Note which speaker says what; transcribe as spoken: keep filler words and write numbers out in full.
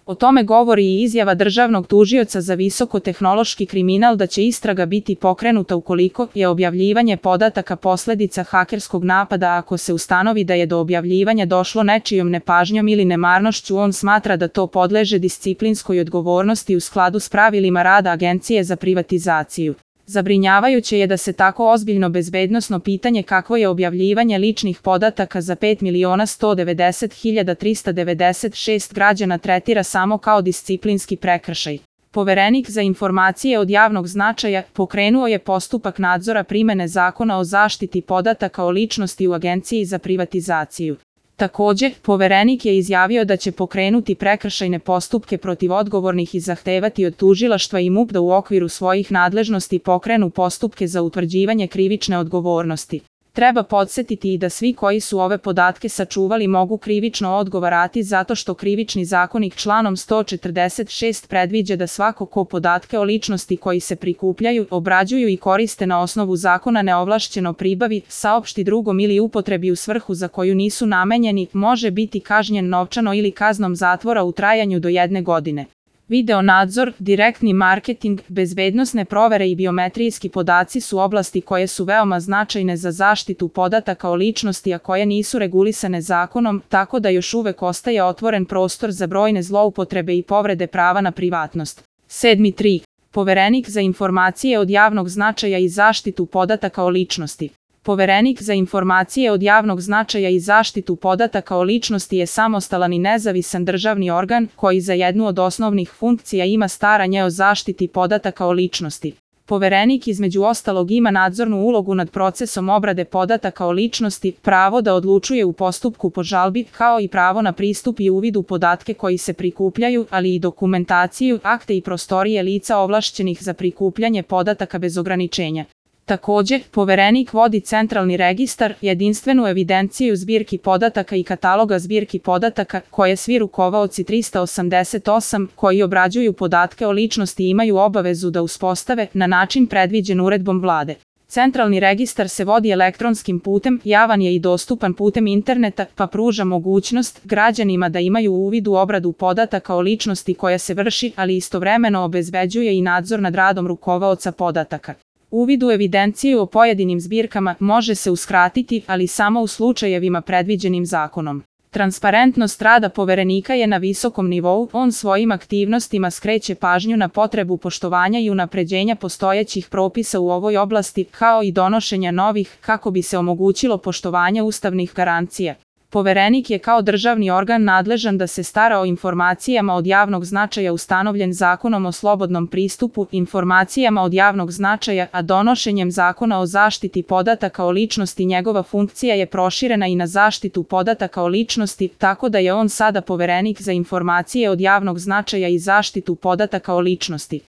Speaker 1: O tome govori i izjava državnog tužioca za visokotehnološki kriminal da će istraga biti pokrenuta ukoliko je objavljivanje podataka posledica hakerskog napada. Ako se ustanovi da je do objavljivanja došlo nečijom nepažnjom ili nemarnošću, on smatra da to podleže disciplinskoj odgovornosti u skladu s pravilima rada Agencije za privatizaciju. Zabrinjavajuće je da se tako ozbiljno bezbednosno pitanje kakvo je objavljivanje ličnih podataka za pet miliona sto devedeset hiljada trista devedeset šest građana tretira samo kao disciplinski prekršaj. Poverenik za informacije od javnog značaja pokrenuo je postupak nadzora primene Zakona o zaštiti podataka o ličnosti u Agenciji za privatizaciju. Također, Poverenik je izjavio da će pokrenuti prekršajne postupke protiv odgovornih i zahtevati od tužilaštva i M U P da u okviru svojih nadležnosti pokrenu postupke za utvrđivanje krivične odgovornosti. Treba podsjetiti i da svi koji su ove podatke sačuvali mogu krivično odgovarati zato što Krivični zakonik članom sto četrdeset šest predviđa da svako ko podatke o ličnosti koji se prikupljaju, obrađuju i koriste na osnovu zakona neovlašćeno pribavi, saopšti drugom ili upotrebi u svrhu za koju nisu namenjeni, može biti kažnjen novčano ili kaznom zatvora u trajanju do jedne godine. Video nadzor, direktni marketing, bezbednosne provere i biometrijski podaci su oblasti koje su veoma značajne za zaštitu podataka o ličnosti, a koje nisu regulisane zakonom, tako da još uvek ostaje otvoren prostor za brojne zloupotrebe i povrede prava na privatnost. sedam tri. Poverenik za informacije od javnog značaja i zaštitu podataka o ličnosti. Poverenik za informacije od javnog značaja i zaštitu podataka o ličnosti je samostalan i nezavisan državni organ koji za jednu od osnovnih funkcija ima staranje o zaštiti podataka o ličnosti. Poverenik između ostalog ima nadzornu ulogu nad procesom obrade podataka o ličnosti, pravo da odlučuje u postupku po žalbi, kao i pravo na pristup i uvid u podatke koji se prikupljaju, ali i dokumentaciju, akte i prostorije lica ovlašćenih za prikupljanje podataka bez ograničenja. Također, Poverenik vodi centralni registar, jedinstvenu evidenciju zbirki podataka i kataloga zbirki podataka, koje svi rukovaoci trista osamdeset osam koji obrađuju podatke o ličnosti imaju obavezu da uspostave na način predviđen uredbom Vlade. Centralni registar se vodi elektronskim putem, javan je i dostupan putem interneta, pa pruža mogućnost građanima da imaju uvid u obradu podataka o ličnosti koja se vrši, ali istovremeno obezbeđuje i nadzor nad radom rukovaoca podataka. Uvid u evidenciju o pojedinim zbirkama može se uskratiti, ali samo u slučajevima predviđenim zakonom. Transparentnost rada Poverenika je na visokom nivou, on svojim aktivnostima skreće pažnju na potrebu poštovanja i unapređenja postojećih propisa u ovoj oblasti, kao i donošenja novih, kako bi se omogućilo poštovanje ustavnih garancija. Poverenik je kao državni organ nadležan da se stara o informacijama od javnog značaja ustanovljen Zakonom o slobodnom pristupu informacijama od javnog značaja, a donošenjem Zakona o zaštiti podataka o ličnosti njegova funkcija je proširena i na zaštitu podataka o ličnosti, tako da je on sada Poverenik za informacije od javnog značaja i zaštitu podataka o ličnosti.